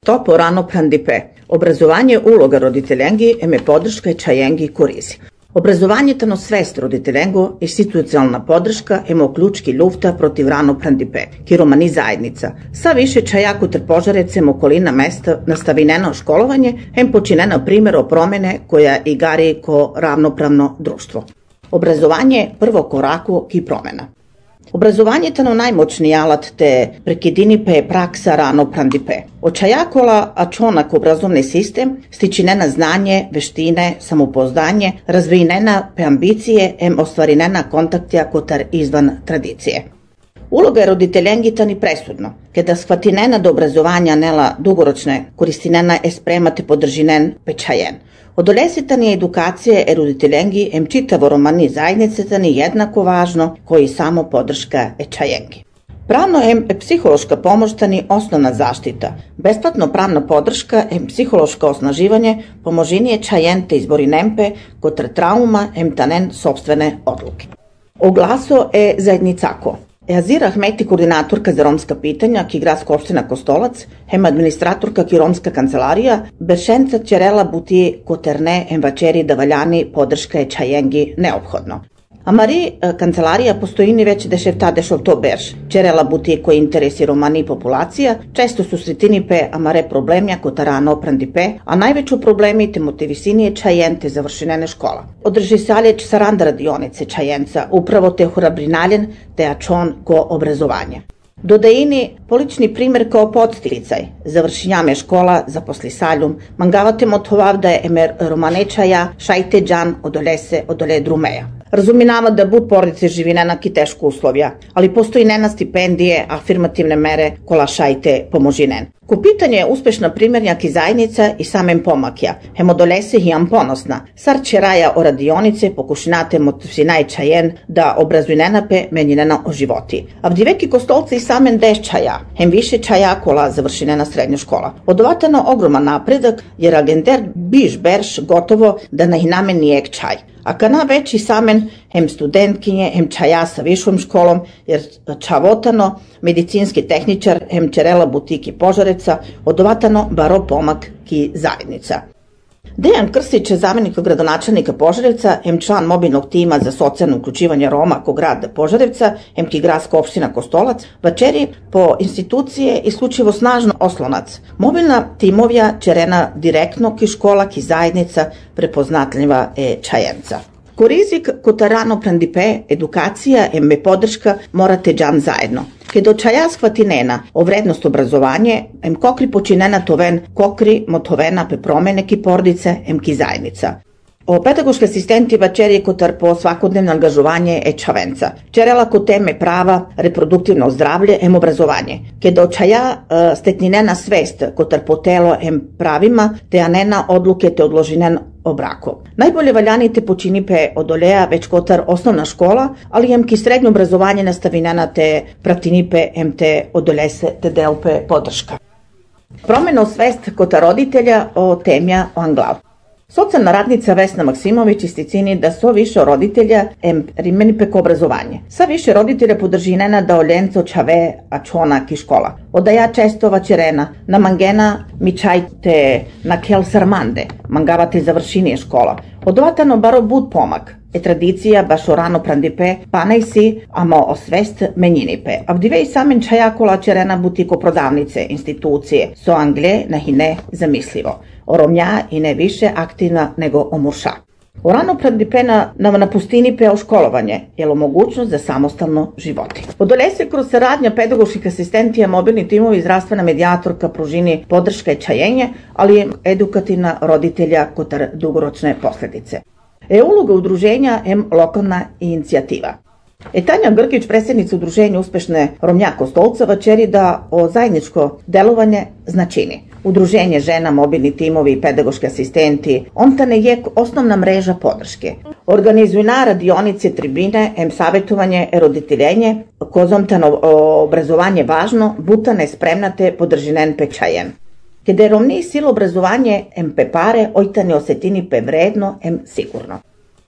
Topo rano prandipe. Obrazovanje uloga roditeljengi eme podrška i čajengi korizi. Obrazovanje tano svest roditeljengo, institucionalna podrška emo ključki lufta protiv rano prandipe, ki romani zajednica. Sa više čajaku ter požarecem okolina mesta nastavineno školovanje, em počinena primjer o promene koja igari ko ravnopravno društvo. Obrazovanje prvo koraku ki promena. Obrazovanje tano najmoćniji alat te prekidinipe praksa rano prandipe. Očajakola čonak obrazovni sistem stičinena znanje, veštine, samopouzdanje, razvijena pe ambicije em ostvarinena kontaktja kotar izvan tradicije. Uloga je roditeljengi tani presudno, kada shvatinena do obrazovanja nela dugoročne koristinena je spremate podržinen pečajen. Odolesitani edukacije roditeljengi em čitavo romani zajednice tani jednako važno koji samo podrška čajengi. Pravno em psihološka pomoć tani osnovna zaštita, besplatno pravna podrška em psihološko osnaživanje pomožinije čajente izbori nempe kotar trauma em tanen sopstvene odluke. Oglaso zajednicako. Azira Ahmeti, koordinatorka za romska pitanja, ki gradska opština Kostolac, hem administratorka ki romska kancelarija, Beršenca Čerela buti koterne em vačeri da valjani podrška je čajengi neophodno. Amari kancelarija postojini već deševta dešovto berš. Čerela buti koji interesi romani populacija, često su sretinipe amare problemja kota rano prandipe, a najveću problemi te motivisinije čajente završenene škola. Održi saljeć saranda radionice čajenca, upravo te horabrinaljen te ačon ko obrazovanje. Dodajini polični primjer kao podsticaj, završenjame škola, zaposli saljum, mangavate motovavda je emer romanečaja, šajte džan odole drumeja. Razuminava da bud porodice živi nenaki teško uslovja, ali postoji nena stipendije, afirmativne mere kola šajte pomožinen. Ko pitanje je uspešna primjernjaki zajednica i samem pomakja, hemodolese hijam ponosna, sar čeraja o radionice pokušinate motivsinaj čajen da obrazuj nenape menjinena o životi. A vdiveki kostolce i samen deščaja, hem više čaja kola završinena srednja škola. Odovatano ogroman napredak jer agender biš berš gotovo da nahiname nijek čaj. A kana veći samen hem studentkinje, hem čaja sa višom školom, jer čavotano medicinski tehničar, hem čerela butiki Požareca, odovatano baro pomak ki zajednica. Dejan Krstić je zamjenik gradonačelnika Požarevca, hem član mobilnog tima za socijalno uključivanje Roma ko grad Požarevca, hem ki gradska opština Kostolac, vačeri po institucije isključivo snažno oslonac. Mobilna timovja čerena direktno ki škola ki zajednica prepoznatljiva čajenca. Ko rizik kota rano prandipe, edukacija eme podrška morate džan zajedno. Kedo čaja shvatinena o vrednost obrazovanje, em kokri počinena toven kokri motovena pe promene ki porodice, em ki zajednica. O pedagoški asistenti vačeri kotar po svakodnevno angažovanje čavenca. Čerela ko teme prava, reproduktivno zdravlje, em obrazovanje. Kedo čaja stekninena svest kotar po telo em pravima, te anena odluke te odložinen o braku. Najbolje valjani te počinipe odoleja već kotar osnovna škola, ali em ki srednje obrazovanje nastavinena te praktinipe em te odolese te delpe podrška. Promena svest kotar roditelja o temja o anglav. Socijalna radnica Vesna Maksimović isticini da so više roditelja rimeni peko obrazovanje. Sa više roditelja podržinena da oljenco čave a čona ki škola. Odaja često vačerena, na mangena mi čajte na kel sarmande, mangavate završinije škola. Odovatano baro bud pomak. Tradicija baš o rano prandipe, panaj si, amo o svest menjinipe. A vdive i samen čajakola čerena butiko prodavnice, institucije, so angle nahine zamislivo. Oromja i ne više aktivna nego omurša. O rano prandipe na pustini pe o školovanje, jel o mogućnost za samostalno životi. Odolese kroz saradnja pedagoških asistentija, mobilni timovi, zdravstvena medijatorka, pružini podrška i čajenje, ali je edukativna roditelja kotar dugoročne posledice. Uloga udruženja lokalna inicijativa. Tanja Grgić, predsjednica udruženja Uspešne Romnja Kostolca, vačeri da o zajedničko delovanje značini. Udruženje žena, mobilni timovi i pedagoški asistenti, ontane je osnovna mreža podrške. Organizuju na radionice, tribine, savjetovanje, roditeljenje, kozomtano obrazovanje važno, butane spremnate podržinen pečajen. Kada je romniji silo obrazovanje pe pare, ojtane osetini pe vredno, sigurno.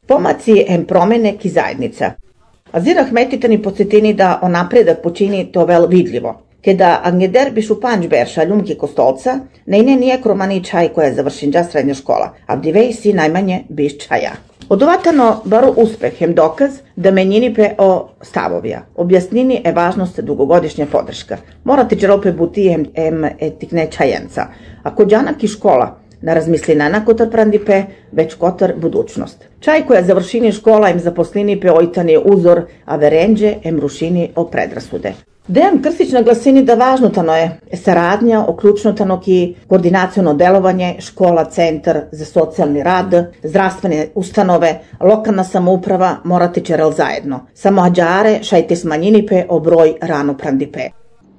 Pomaci promene ki zajednica. Azira Ahmetitani podsjetini da o napredak počini to vel vidljivo. Когда Агнедер Бишупанч Берша Ljumki Kostolca, nejne nije kromani čaj koja je završinđa srednja škola, a vdivej si najmanje biš čaja. Odovatano baru uspeh hem dokaz da menjini pe o stavovija. Objasnini je važnost dugogodišnja podrška. Morate čerope buti hem etikne čajenca. Ako džanak i škola na razmislina na kotar prandipe, već kotar budućnost. Čaj koja završini škola em zaposlini pe ojtani uzor, a verenđe em rušini o predrasude. Dejan Krstić naglasini da važnutano je saradnja, oključnutano ki koordinaciono delovanje, škola, centar za socijalni rad, zdravstvene ustanove, lokalna samouprava morati čerel zajedno. Samo ađare šajte smanjinipe o broj rano prandipe.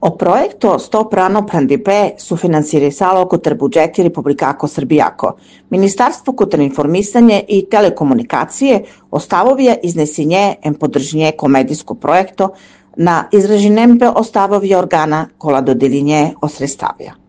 O projekto Stop rano prandipe sufinansiralo kotar budžeti Republikako Srbijako. Ministarstvo kotar informisanje i telekomunikacije ostavovija iznesinje em podržnje komedijsko projekto na izraženem pe ostavovje organa kola dodelinje o sredstavija.